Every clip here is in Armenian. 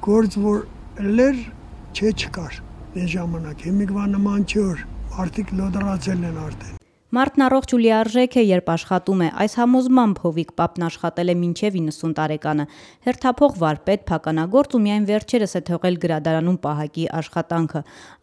Գործ որ լեր չկար այս ժամանակ, հիմիկվա նման չի որ մարդիկ լոդրացել են արդեն։ Մարդն առողջ ու լիարժեք է, երբ աշխատում է, այս համոզմամբ Հովիկ Պապն աշխատել է մինչև 90 տարեկանը։ Հերթափող վարպետ, փականագործ ու միայն վերջերս է թողել գրադարանում պահակի աշխատանքը։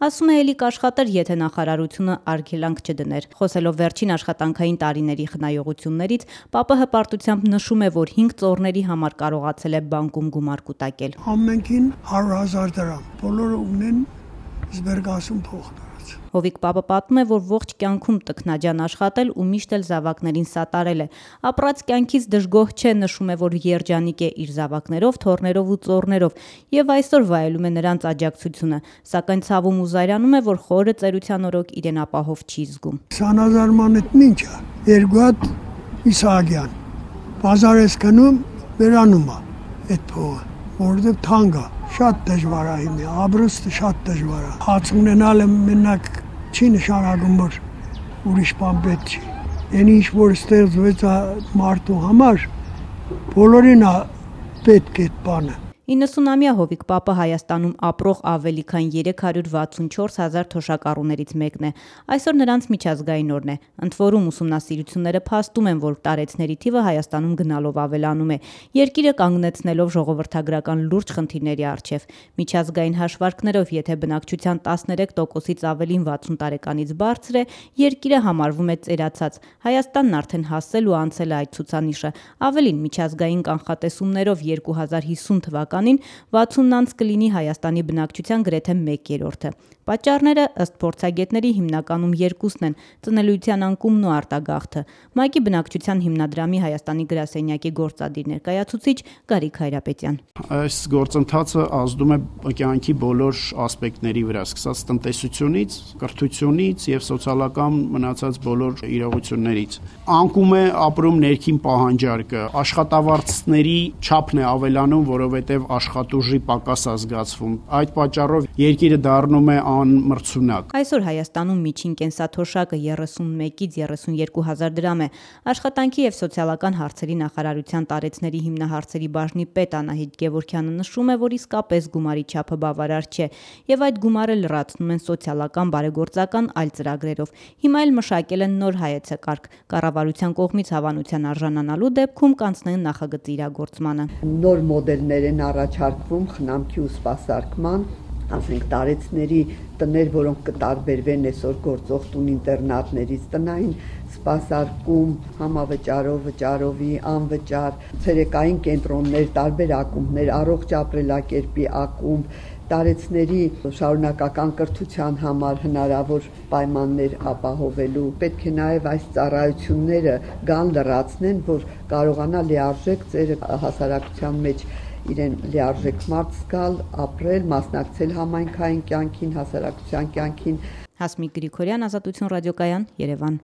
Ասում է, էլի կաշխատեր, եթե նախարարությունը արգելանք չդներ։ Խոսելով վերջին աշխատանքային տարիների խնայողություններից, Պապը հպարտությամբ նշում է, որ 5 ծոռների համար կարողացել է բանկում գումար կուտակել։ Ամենքին 100,000 դրամ, բոլորը ունեն զբերգասում փող։ Հովիկ Պապը պատմում է, որ ողջ կյանքում տքնաջան աշխատել ու միշտ էլ զավակներին սատարել է։ Ապրած կյանքից դժգոհ չէ, նշում է, որ երջանիկ է իր զավակներով, թոռներով ու ծոռներով եւ այսօր վայելում է նրանց աջակցությունը, սակայն ցավում ու զայրանում է, որ խորը ծերության օրոք իրեն ապահով չի զգում։ 20,000 ման էդ ինչ է, երկու հատ Իսահակյան, բազար ես գնում, վերանում է այդ փողը, որովհետեւ թանկ է, շատ դժվար է հիմա, ապրուստը շատ դժվար է։ Հաց ունենալը մենակ չի նշանակում, որ ուրիշ բան պետք չի։ Այն ինչ որ ստեղծվեց մարդու համար, բոլորին է պետք այդ բանը։ 90-ամյա Հովիկ Պապը Հայաստանում ապրող ավելի քան 364,000 թոշակառուներից մեկն է։ Այսօր նրանց միջազգային օրն է։ Ընդ որում ուսումնասիրությունները փաստում են, որ տարեցների թիվը Հայաստանում գնալով ավելանում է, երկիրը կանգնեցնելով ժողովրդագրական լուրջ խնդիրների առջև։ Միջազգային հաշվարկներով, եթե բնակչության 13%-ից ավելին 60 տարեկանից բարձր է, երկիրը համարվում է ծերացած։ Հայաստանն արդեն հասել ու անցել է այդ ցուցանիշը։ Ավելին, միջազգային կանխատեսումներով 2050 թվականին 60-անց կլինի Հայաստանի բնակչության գրեթե 1/3-ը։ Պատճառները ըստ փորձագետների հիմնականում երկուսն են՝ ծնելիության անկումն ու արտագաղթը։ ՄԱԿ-ի բնակչության հիմնադրամի Հայաստանի գրասենյակի գործադիր ներկայացուցիչ Գարիկ Հայրապետյան։ Այս գործընթացը ազդում է կյանքի բոլոր ասպեկտների վրա, սկսած տնտեսությունից, կրթությունից եւ սոցիալական մնացած բոլոր իրողություններից։ Անկում է ապրում ներքին պահանջարկը, աշխատավարձների չափն է ավելանում, որովհետեւ աշխատուժի պակաս է զգացվում։ Այդ պատճառով երկիրը դառնում է անմրցունակ։ Այսօր Հայաստանում միջին կենսաթոշակը 31-ից 32,000 դրամ է։ Աշխատանքի եւ սոցիալական հարցերի նախարարության տարեցների հիմնահարցերի բաժնի պետ Անահիտ Գևորգյանը նշում է, որ իսկապես գումարի չափը բավարար չէ եւ այդ գումարը լրացնում են սոցիալական բարեգործական այլ ծրագրերով։ Հիմա էլ մշակել են նոր հայեցակարգ։ Կառավարության կողմից հավանության արժանանալու դեպքում կանցնեն նախագծի իրագործմանը։ Նոր մոդելներ են առաջարկվում խնամքի ու սպասարկման, ասենք տարեցների տներ, որոնք կտարբերվեն այսօր գործող տուն-ինտերնատներից, տնային սպասարկում, համավճարով, վճարովի, անվճար, ցերեկային կենտրոններ, տարբեր ակումբներ, առողջ ապրելակերպի ակումբ, տարեցների շարունակական կրթության համար հնարավոր պայմաններ ապահովելու։ Պետք է նաև այս ծառայությունները գան լրացնեն, որ կարողանա լիարժեք ծերը հասարակության մեջ իրեն լիարժեք մարդ զգալ, ապրել, մասնակցել համայնքային կյանքին, հասարակության կյանքին։ Հասմիկ Գրիգորյան, Ազատություն ռադիոկայան, Երևան։